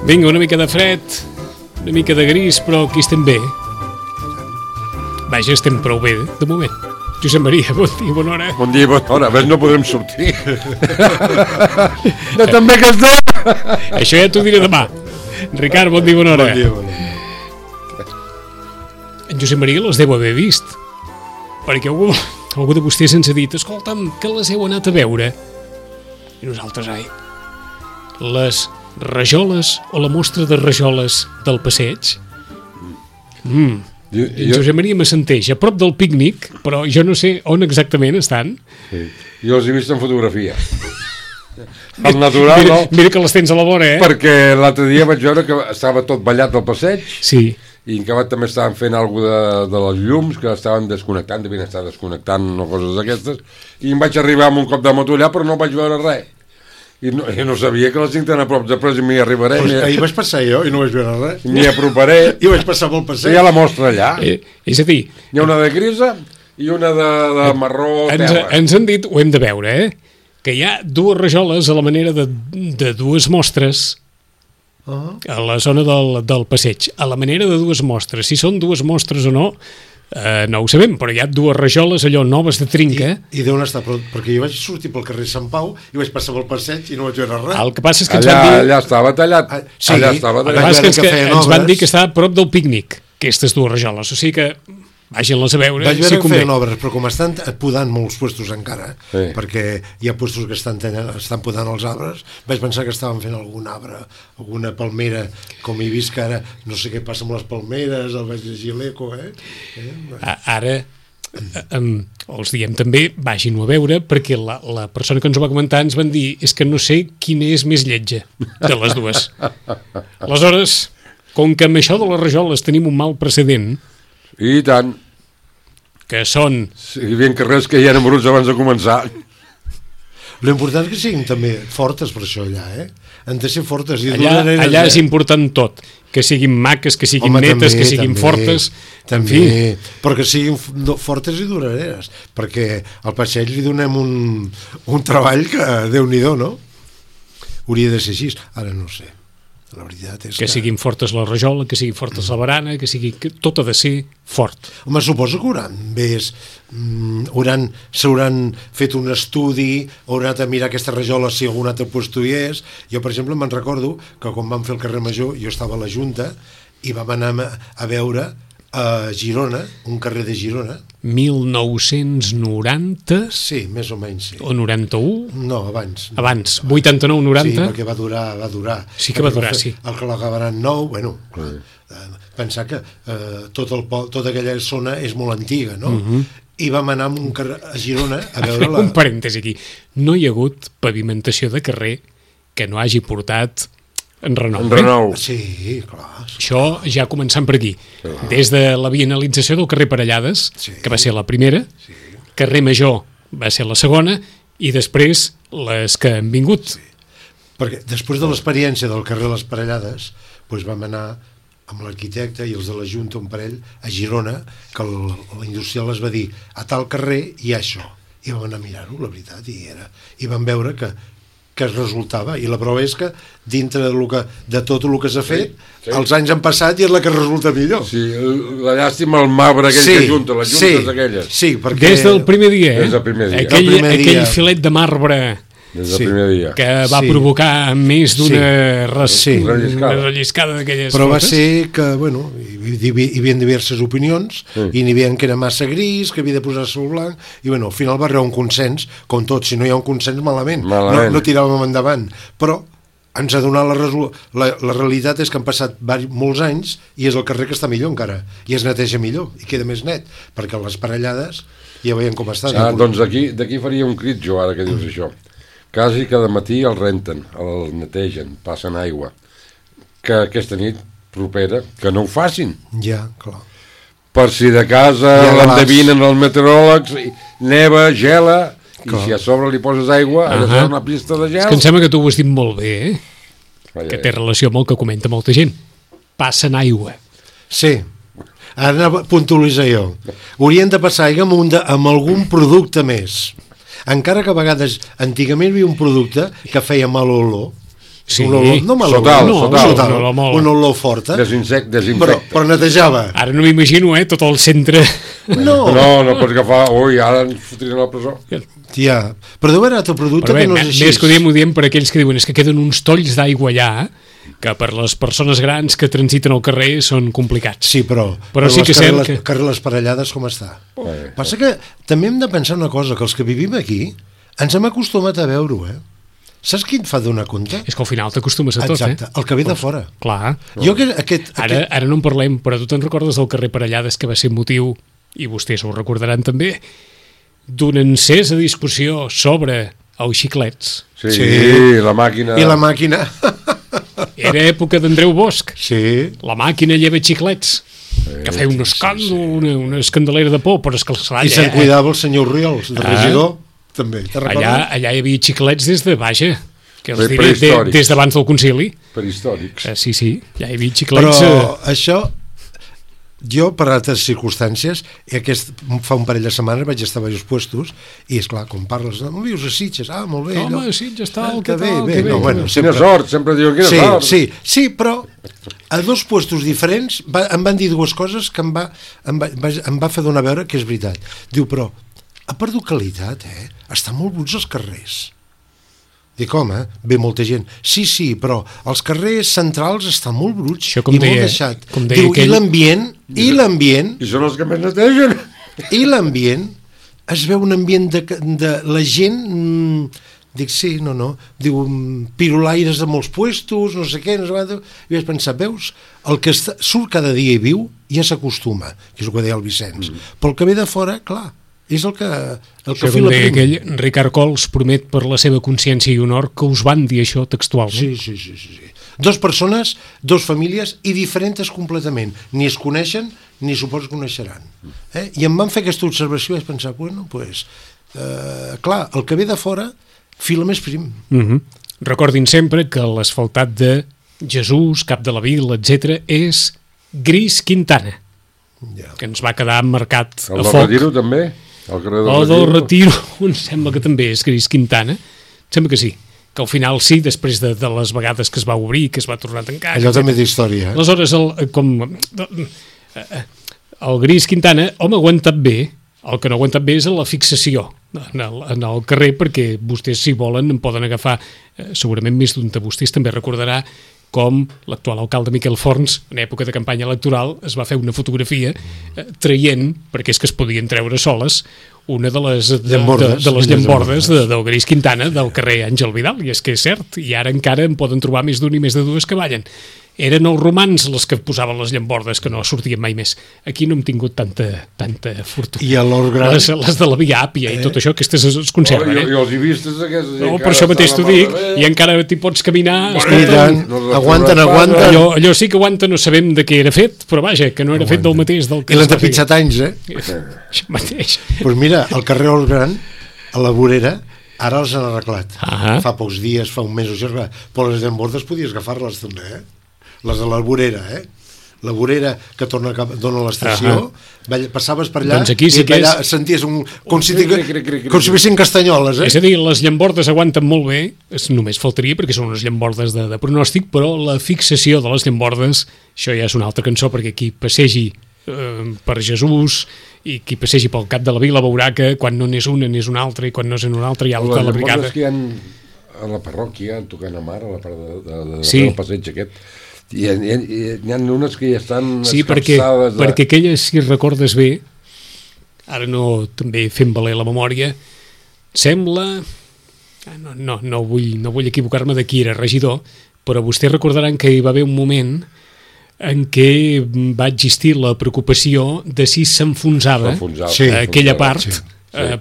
Vinga, una mica de fred, una mica de gris, però aquí estem bé. Vaja, estem prou bé, de moment. Josep Maria, bon dia, bona hora. Bon dia, bona hora. A veure, no podrem sortir. De també que estem. Això ja t'ho diré demà. Ricard, bon dia, bona hora. Bon dia, bon dia. En Josep Maria les deu haver vist, perquè algú de vostès ens ha dit: escolta'm, que les heu anat a veure. I nosaltres, les rajoles o la mostra de rajoles del passeig? En Josep Maria m'assenteix a prop del pícnic, però jo no sé on exactament estan. Sí. Jo els he vist en fotografia. El natural, no? Mira que les tens a la vora, Perquè l'altre dia vaig veure que estava tot ballat al passeig. Sí. I en acabat també estaven fent alguna de les llums, que estaven desconnectant, devien estar desconnectant o coses d'aquestes, i em vaig arribar amb un cop de moto allà, però no vaig veure res. I no sabia que les tinc tan a prop, després m'hi arribaré. Ahir vaig passar jo i no vaig veure res. M'hi aproparé. I vaig passar pel passeig. Hi ha la mostra allà. És a dir, hi ha una de grisa i una de marró terra. Ens han dit, ho hem de veure, que hi ha dues rajoles a la manera de dues mostres a la zona del passeig. A la manera de dues mostres. Si són dues mostres o no, no ho sabem, però hi ha dues rajoles allò noves de trinca. I d'on està? Perquè jo vaig sortir pel carrer Sant Pau i vaig passar pel passeig i no vaig veure res. El que passa és que allà estava tallat. Sí, allà estava tallat. El que passa és que ens van dir que estava a prop del pícnic, aquestes dues rajoles, o sigui que vagin-les a veure. Vaig veure que feien obres, però com estan podant molts puestos encara, sí, perquè hi ha puestos que estan podant els arbres, vaig pensar que estaven fent algun arbre, alguna palmera, com he vist que ara no sé què passa amb les palmeres, el vaig llegir a l'Eco, Ara els diem també, vagin-ho a veure, perquè la persona que ens ho va comentar ens van dir, és que no sé quina és més lletja de les dues. Aleshores, com que amb això de les rajoles tenim un mal precedent, i tant, que són... Si hi havia carrers que ja eren bruts abans de començar. L'important és que siguin també fortes per això allà, han de ser fortes i allà és important tot, que siguin maques, que siguin netes, que siguin fortes, també, però que siguin fortes i duraderes, perquè al passeig li donem un treball que Déu-n'hi-do, no? Hauria de ser així, ara no ho sé. La veritat és que siguin fortes la rajola, que sigui fortes la barana, que tot ha de ser fort. Home, suposo que s'hauran fet un estudi, hauran anat a mirar aquesta rajola si algun altre puesto hi és. Jo, per exemple, me'n recordo que quan vam fer el carrer Major, jo estava a la Junta i vam anar a veure a Girona, un carrer de Girona. 1990? Sí, més o menys, sí. O 91? No, abans. Abans, 89-90? Sí, perquè va durar. Sí que va durar, sí. El que l'acabaran nou, bueno, pensar que tota aquella zona és molt antiga, no? I vam anar a Girona a veure un parèntesi aquí. No hi ha hagut pavimentació de carrer que no hagi portat enrenou. Sí, clar. Això ja començant per aquí. Des de la bienalització del carrer Parellades, que va ser la primera, carrer Major va ser la segona, i després les que han vingut. Perquè després de l'experiència del carrer Les Parellades, doncs vam anar amb l'arquitecte i els de la Junta, un parell, a Girona, que l'industrial es va dir, a tal carrer hi ha això. I vam anar a mirar-ho, la veritat, i vam veure que es resultava, i la prova és que dintre de tot el que s'ha fet, els anys han passat i és la que resulta millor. Sí, la llàstima, el marbre aquell que junta, les juntes aquelles. Sí, perquè... Des del primer dia, Des del primer dia. Aquell filet de marbre Des del primer dia. que va provocar més d'una relliscada d'aquelles però va fotos. ser que, bueno, hi havia diverses opinions, i n'hi havia que era massa gris, que havia de posar-se el blanc, i bueno, al final va arribar un consens, com tot, si no hi ha un consens malament. No tiràvem endavant, però ens ha donat la realitat és que han passat molts anys i és el carrer que està millor encara, i es neteja millor i queda més net, perquè les parellades ja veiem com estan. Doncs d'aquí faria un crit jo ara que dius això. Quasi cada matí el renten, el netegen, passen aigua. Que aquesta nit propera, que no ho facin. Ja, clar. Per si de casa l'endevinen els meteoròlegs, neva, gela, i si a sobre li poses aigua, ha de ser una pista de gel. És que em sembla que tu ho has dit molt bé, que té relació amb el que comenta molta gent. Passen aigua. Sí. Ara puntualitzo jo. Haurien de passar aigua amb algun producte més. Encara que a vegades, antigament hi havia un producte que feia mal olor. Sí. Un olor, no mal olor, sotal, una olor forta. Desinfecta. Però netejava. Ara no m'imagino, tot el centre... No pots agafar... Ui, ara ens fotrien a la presó. Ja, però deu haver altre producte que no és així. Més que ho diem per aquells que diuen és que queden uns tolls d'aigua allà, que per les persones grans que transiten al carrer són complicats. Sí, però sí que les parellades com està? Passa que també hem de pensar una cosa, que els que vivim aquí ens hem acostumat a veure-ho, Saps qui et fa donar compte? És que al final t'acostumes a tot, Exacte, el que ve de fora. Clar. Ara no en parlem, però tu te'n recordes del carrer Parellades, que va ser motiu, i vostès ho recordaran també, d'una encesa discussió sobre els xiclets. Sí, la màquina... I la màquina... Era època d'Andreu Bosch. Sí. La màquina lleva xiclets. Que feia un escàndol, una escandalera de por, però és que I se'n cuidava el senyor Riols, de regidor, també. Allà hi havia xiclets des de Baja, que els diré des d'abans del concili. Prehistòrics. Sí, ja hi havia xiclets... Però això... Jo, per altres circumstàncies, fa un parell de setmanes vaig estar a diversos puestos i, esclar, com parles, no vius a Sitges? Ah, molt bé. Home, Sitges, tal, que bé. No, bueno, quina sort, sempre diuen quina sort. Sí, però a dos puestos diferents em van dir dues coses que em va fer donar a veure que és veritat. Diu, però ha perdut qualitat, Estan molt bruts els carrers. Dic, home, ve molta gent. Sí, però els carrers centrals estan molt bruts i molt deixat. Diu, i l'ambient... I són els que més netegen. I l'ambient, es veu un ambient de la gent... Dic, sí, no. Diu, pirulaires de molts puestos, no sé què, no sé què. I vaig pensar, veus, el que surt cada dia i viu ja s'acostuma, que és el que deia el Vicenç. Però el que ve de fora, clar, és el que fila prim. Aquell Ricard Cols promet per la seva consciència i honor que us van dir això textualment. Sí. Dos persones, dos famílies i diferents completament. Ni es coneixen ni suposo que coneixeran. I em van fer aquesta observació i vaig pensar, clar, el que ve de fora fila més prim. Recordin sempre que l'asfaltat de Jesús, Cap de la Vila, etc., és Gris Quintana, que ens va quedar marcat a foc. El del Retiro també? El del Retiro em sembla que també és Gris Quintana. Em sembla que sí, que al final sí, després de les vegades que es va obrir, que es va tornar a tancar. Allò també d'història. Aleshores, el Gris Quintana, home, ha aguantat bé. El que no ha aguantat bé és la fixació en el carrer, perquè vostès, si volen, en poden agafar segurament més d'un de vostès. També recordarà com l'actual alcalde Miquel Forns, en època de campanya electoral, es va fer una fotografia traient, perquè és que es podien treure soles, una de les llambordes del Gris Quintana del carrer Àngel Vidal, i és que és cert, i ara encara en poden trobar més d'un i més de dues que ballen. Eren els romans els que posaven les llambordes, que no sortien mai més. Aquí no hem tingut tanta fortuna. I a l'Hort Gran... Les de la Via Àpia i tot això, aquestes es conserven. I els hi vistes aquestes... No, per això mateix t'ho dic, i encara t'hi pots caminar... Aguanten. Allò sí que aguanta, no sabem de què era fet, però vaja, que no era fet del mateix. I l'han tapitjat anys, Això mateix. Doncs mira, el carrer Hort Gran, a la vorera, ara els han arreglat. Fa pocs dies, fa un mes o això, però les llambordes podies agafar-les també, les de la vorera, la vorera que dona l'estació, passaves per allà Doncs aquí sí i que allà senties com si fessin castanyoles, És a dir, les llambordes aguanten molt bé, només faltaria perquè són unes llambordes de pronòstic, però la fixació de les llambordes, això ja és una altra cançó, perquè qui passegi per Jesús i qui passegi pel cap de la vila veurà que quan no n'és una n'és una altra i quan no és una altra hi ha la brigada. Les que hi ha a la parròquia, tocant a mar, a la part Sí. del passeig aquest, hi ha unes que ja estan Sí, escapçades perquè aquelles, si recordes bé, ara no també fent valer la memòria, sembla... No vull equivocar-me de qui era regidor, però vostès recordaran que hi va haver un moment en què va existir la preocupació de si s'enfonsava aquella part,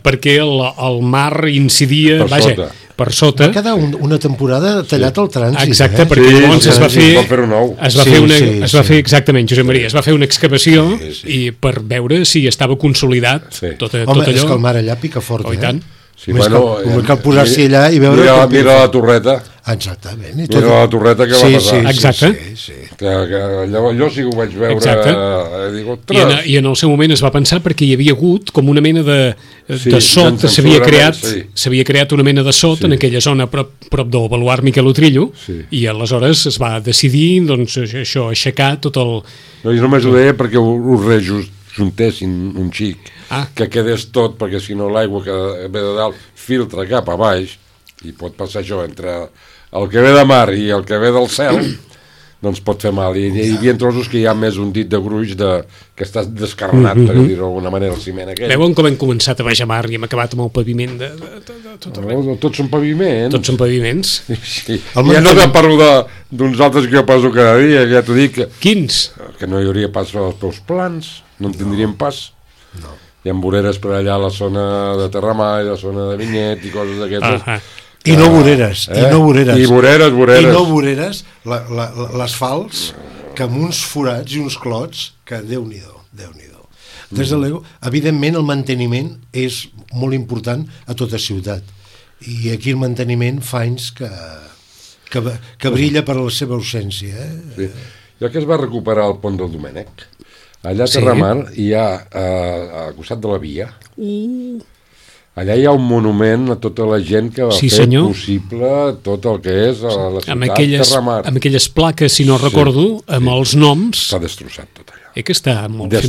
perquè el mar incidia per sota. Va quedar una temporada tallat el trànsit. Exacte, perquè llavors es va fer exactament, Josep Maria, es va fer una excavació i per veure si estava consolidat tot allò. Home, és que el mar allà pica fort, i tant. Sí, bueno, cal posar-s'hi allà i veure... Mira la torreta. Exactament. Mira la torreta que va passar. Exacte. Que allò sí que ho vaig veure. I en el seu moment es va pensar perquè hi havia hagut com una mena de sot, s'havia creat una mena de sot en aquella zona prop del baluart Miquel Utrillo, i aleshores es va decidir doncs, això, aixecar tot el... No, jo només ho deia perquè ho rejuntessin un xic, que quedés tot, perquè si no l'aigua que ve de dalt filtra cap a baix i pot passar això entre el que ve de mar i el que ve del cel, doncs pot fer mal. I hi havia trossos que hi ha més un dit de gruix que està descarnat, per dir-ho d'alguna manera, el ciment aquell. Veuen com hem començat a baixar mar i hem acabat amb el paviment de tot arreu. Tots són paviments. Tots són paviments. Sí. Ja no te parlo d'uns altres que jo passo cada dia, ja t'ho dic. Quins? Que no hi hauria pas als teus plans, no en tindríem pas. No. Hi ha voreres per allà a la zona de Terramar i la zona de Vinyet i coses d'aquestes. I no voreres, i no voreres. I voreres. I no voreres, l'asfalts, que amb uns forats i uns clots, que Déu-n'hi-do. Des de l'ego, evidentment el manteniment és molt important a tota ciutat. I aquí el manteniment fa anys que brilla per la seva ausència. Sí. Ja que es va recuperar el pont del Domènec, allà a Terramar hi ha, al costat de la via, allà hi ha un monument a tota la gent que va fer possible tot el que és a la ciutat Terramar. Amb aquelles plaques, si no recordo, amb els noms... S'ha destrossat tot allò. Que està molt bé.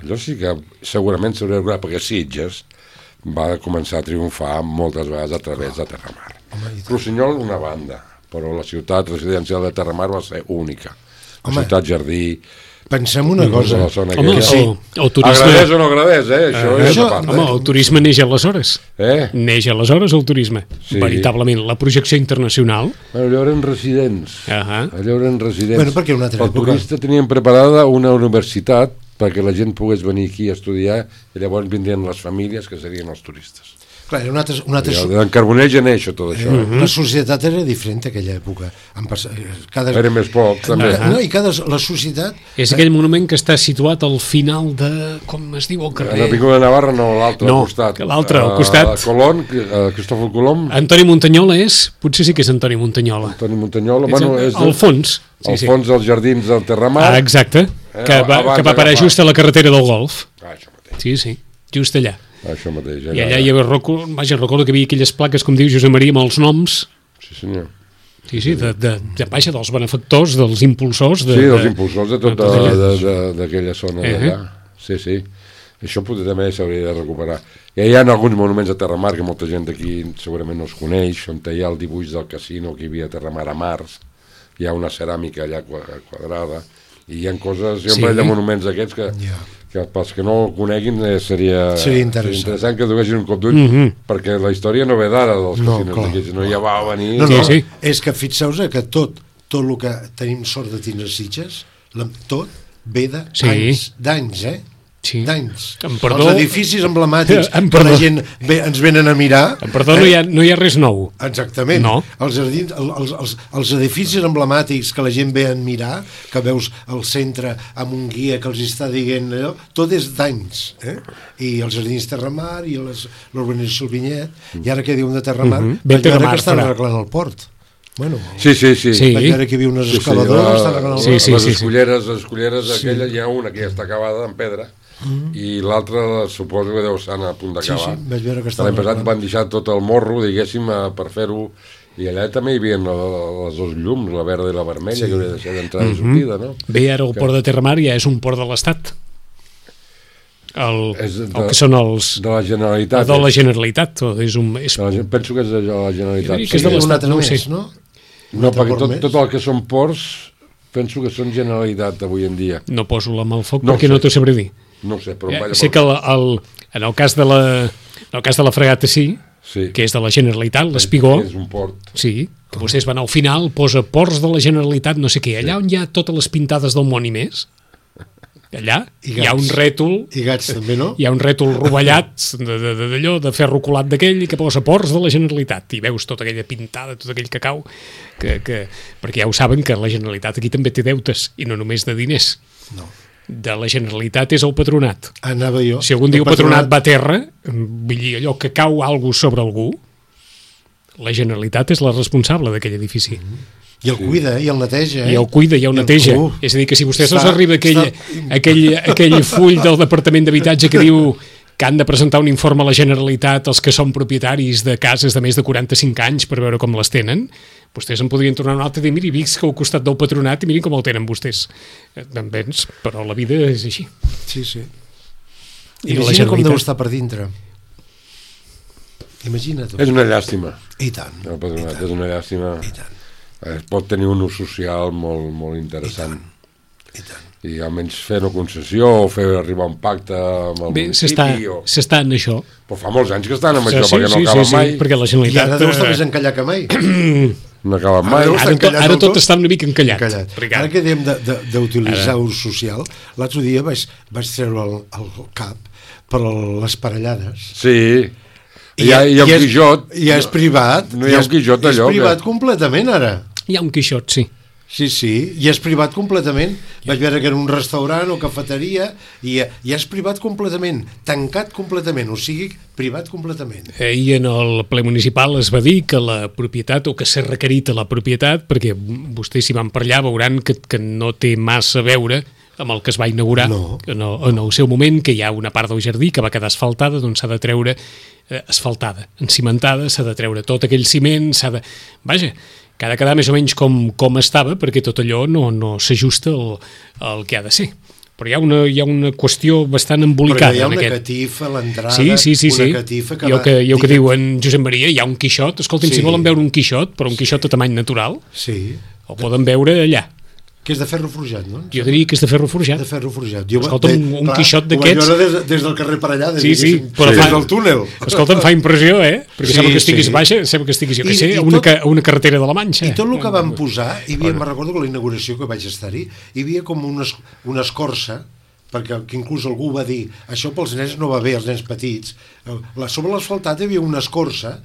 Allò sí que segurament s'hauria de perquè Sitges va començar a triomfar moltes vegades a través de Terramar. Rossinyol una banda, però la ciutat residencial de Terramar va ser única. La ciutat jardí... Pensem una cosa. El turisme... Agradés o no agradés, això és a part. Home, el turisme neix aleshores. Neix aleshores el turisme. Veritablement, la projecció internacional. Allò eren residents. Allò eren residents. Bueno, perquè una altra època. El turista tenien preparada una universitat perquè la gent pogués venir aquí a estudiar i llavors vindrien les famílies que serien els turistes. Clar, era una altra... En Carbonell ja neix tot això. La societat era diferent en aquella època. Era més poc, també. No, i la societat... És aquell monument que està situat al final de... Com es diu el carrer? La Avinguda de Navarra, no, l'altre al costat. No, l'altre al costat. Colón, Cristòfol Colom. Antoni Muntanyola és... Potser sí que és Antoni Muntanyola. Antoni Muntanyola, bueno, és... Al fons. Al fons dels jardins del Terramar. Exacte. Que va parar just a la carretera del Golf. Això mateix. Sí, just allà. Això mateix. I allà hi havia, recordo que hi havia aquelles plaques, com diu Josep Maria, amb els noms. Sí, senyor. Sí, dels benefactors, dels impulsors. Dels impulsors de tota d'aquella zona d'allà. Sí. Això també s'hauria de recuperar. Ja hi ha alguns monuments a Terramar que molta gent d'aquí segurament no els coneix, on hi ha el dibuix del casino que hi havia a Terramar a Mars, hi ha una ceràmica allà quadrada, i hi ha coses, hi ha un parell de monuments aquests que pels que no ho coneguin seria interessant que duguessin un cop d'ull, perquè la història no ve d'ara dels casinos d'aquí, sinó ja va venir... No, és que fixeu-vos que tot el que tenim sort de tindre Sitges, tot ve d'anys, d'anys. Els edificis emblemàtics que la gent ens venen a mirar... Perdó, no hi ha res nou. Exactament. Els edificis emblemàtics que la gent ve a mirar, que veus al centre amb un guia que els està dient allò, tot és d'anys. I els jardins Terramar i l'urbanització Vinyet, i ara que diuen de Terramar, que estan arreglant el port. Bueno, Sí. vaig veure que hi havia unes escaladores, estan arreglant Sí, sí. Les esculleres aquelles, hi ha una que ja està acabada en pedra, i l'altra suposo que deu estar a punt d'acabar. vaig veure que estava L'any passat arreglant. van deixar tot el morro, diguéssim, per fer-ho, i allà també hi havia les dos llums, la verda i la vermella, que hauria de ser d'entrada i sortida, no? Bé, ara el port de Terramar ja és un port de l'Estat. El que són els... De la Generalitat. De la Generalitat. És un, és, Penso que és de la Generalitat. que és de un l'Estat, altre no ho més, sé. no? No, perquè port més? tot el que són ports penso que són Generalitat avui en dia. No poso la mà al foc No perquè sé. no t'ho sabré dir. No ho sé, però... Sé que en el cas de la fregata sí, que és de la Generalitat, l'Espigó, És un port. sí, que vostès van al final, posa ports de la Generalitat, no sé què, allà on hi ha totes les pintades del món i més, allà I hi ha un gats. rètol, I gats també, no? hi ha un rètol rovellat d'allò, de ferro colat d'aquell, i que posa ports de la Generalitat, i veus tota aquella pintada, tot aquell cacau, perquè ja ho saben que la Generalitat aquí també té deutes, i no només de diners. No. De la Generalitat és el patronat. Anava jo. Si algun dia el patronat va a terra, vull dir, allò que cau algú sobre algú, la Generalitat és la responsable d'aquell edifici. I el cuida, i el neteja, I el cuida, i el neteja. És a dir, que si vostès els arriba aquell full del Departament d'Habitatge que diu que han de presentar un informe a la Generalitat els que són propietaris de cases de més de 45 anys per veure com les tenen, vostès en podrien tornar un altre i dir, miri, visc al costat del patronat i mirin com el tenen vostès. Doncs, però la vida és així. Sí. I la Imagina com Generalitat. deu estar per dintre. Imagina't. És una llàstima. I tant. El patronat és una llàstima. I tant. Es pot tenir un ús social molt, molt interessant. I tant. I almenys fer una concessió o fer arribar un pacte amb el Bé, municipi. s'està en això. Però fa molts anys que estan amb Sí, això, sí, perquè no sí, acaben sí, mai. perquè la I Generalitat... ara deu estar més encallat que mai. No acaben mai. Ara Ara tot està una mica encallat. Encallat. Ara que dèiem d'utilitzar ús social, l'altre dia vaig treure el cap per les parellades. Sí. Hi ha un Quixot. I és privat. No hi ha un Quixot allò. És privat completament, ara. Hi ha un Quixot, sí. Sí, i és privat completament. Vaig veure que era un restaurant o cafeteria i és privat completament, tancat completament, o sigui, privat completament. I en el ple municipal es va dir que la propietat, o que s'ha requerit a la propietat, perquè vostès si van per allà veuran que no té massa a veure amb el que es va inaugurar en el seu moment, que hi ha una part del jardí que va quedar asfaltada, doncs s'ha de treure asfaltada, encimentada, s'ha de treure tot aquell ciment, Vaja, que ha de quedar més o menys com estava, perquè tot allò no s'ajusta al que ha de ser. Però hi ha una qüestió bastant embolicada. Perquè hi ha una catifa a l'entrada, sí. una catifa que... Jo que diu en Josep Maria, hi ha un Quixot, escolti'm, si volen veure un Quixot, però un Quixot a tamany natural, el poden veure allà. Que és de ferro forjat, no? Jo diria que és de ferro forjat. De ferro forjat. Escolta'm, un Quixot d'aquests... Ho vaig veure des del carrer per allà, sí, però des del túnel. Escolta'm, fa impressió, Perquè sembla que estiguis baixa, sembla que estiguis, jo què sé, una carretera de la Manxa. I tot el que van posar, me'n recordo que la inauguració que vaig estar-hi, hi havia com una escorça, perquè inclús algú va dir, això pels nens no va bé, els nens petits. Sobre l'asfaltat hi havia una escorça,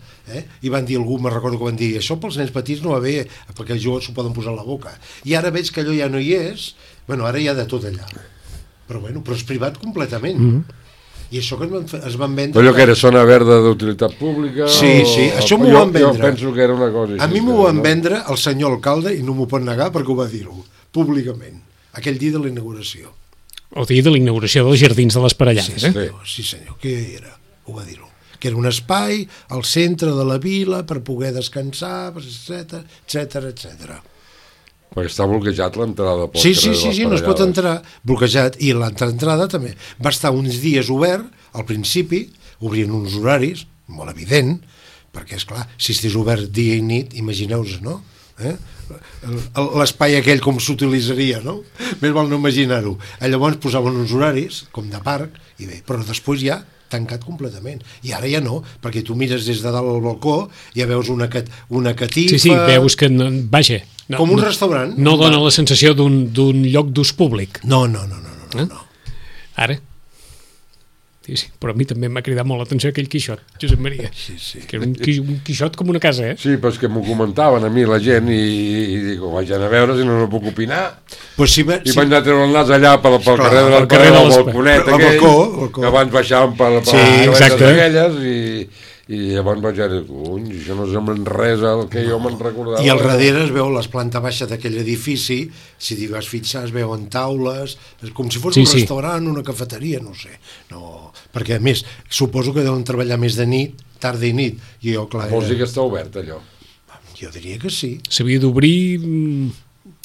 i van dir, me'n recordo que van dir, això pels nens petits no va bé, perquè els joves s'ho poden posar a la boca. I ara veig que allò ja no hi és, ara hi ha de tot allà. Però és privat completament. I això que es van vendre... Allò que era zona verda d'utilitat pública... Sí, això m'ho van vendre. Jo penso que era una cosa així. A mi m'ho van vendre el senyor alcalde, i no m'ho pot negar perquè ho va dir-ho, públicament, aquell dia de la inauguració. El dia de la inauguració dels Jardins de les Parellades, Sí, senyor, què era? Ho va dir-ho. Que era un espai al centre de la vila per poder descansar, etc. Perquè està bloquejat l'entrada del Sí, no es pot entrar, bloquejat, i l'entrada també. Va estar uns dies obert, al principi, obrien uns horaris, molt evident, perquè, esclar, si estigués obert dia i nit, imagineu-vos, no? L'espai aquell com s'utilitzaria, no? Més val no imaginar-ho. Llavors posaven uns horaris, com de parc, i bé, però després ja tancat completament. I ara ja no, perquè tu mires des de dalt al balcó, ja veus una catifa... Sí, veus que, vaja... Com un restaurant. No dona la sensació d'un lloc d'ús públic. No. Ara? Sí, però a mi també m'ha cridat molt l'atenció aquell Quixot, Josep Maria. Sí. Que era un Quixot com una casa, Sí, però és que m'ho comentaven a mi la gent i dic, vaig anar a veure si no puc opinar. Pues sí, I vaig anar a treure el nas allà pel carrer del balconet aquell, que abans baixàvem per les aquelles I llavors vaig dir, cony, això no sembla res al que jo me'n recordava. I al darrere es veu les planta baixa d'aquell edifici, si t'hi vas fixar es veuen taules, com si fos un restaurant, una cafeteria, no sé. No, perquè a més, suposo que deuen treballar més de nit, tarda i nit. I jo, clar, vols dir que està obert allò? Jo diria que sí. S'havia d'obrir...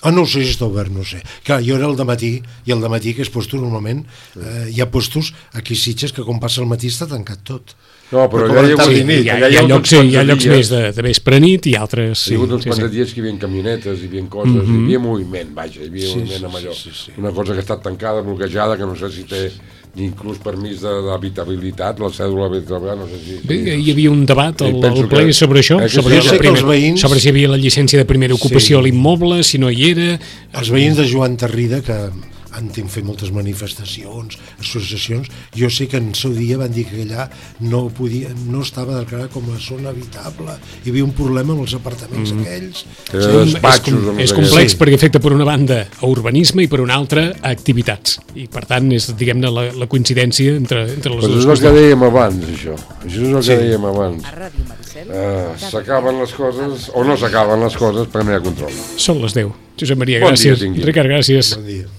No ho sé si està obert, no ho sé. Clar, jo era el dematí, i el dematí, que és postos normalment, hi ha postos aquí a Sitges que com passa el matí està tancat tot. No, però hi ha llocs més de vespre nit i altres... Hi ha hagut uns quants dies que hi havia camionetes, hi havia coses, hi havia moviment, vaja, hi havia moviment amb allò. Una cosa que ha estat tancada, bloquejada, que no sé si té ni inclús permís d'habitabilitat, la cèdula d'habitabilitat, no sé si... Bé, hi havia un debat al ple sobre això, sobre si hi havia la llicència de primera ocupació a l'immoble, si no hi era... Els veïns de Joan Tarrida, que han fet moltes manifestacions, associacions, jo sé que en el seu dia van dir que allà no estava declarat com a zona habitable, hi havia un problema amb els apartaments aquells. És complex perquè afecta per una banda a urbanisme i per una altra a activitats, i per tant és, diguem-ne, la coincidència entre les dues coses. És el que dèiem abans, això és el que dèiem abans. S'acaben les coses o no s'acaben les coses perquè no hi ha control. Són les 10. Josep Maria, gràcies. Ricard, gràcies. Bon dia.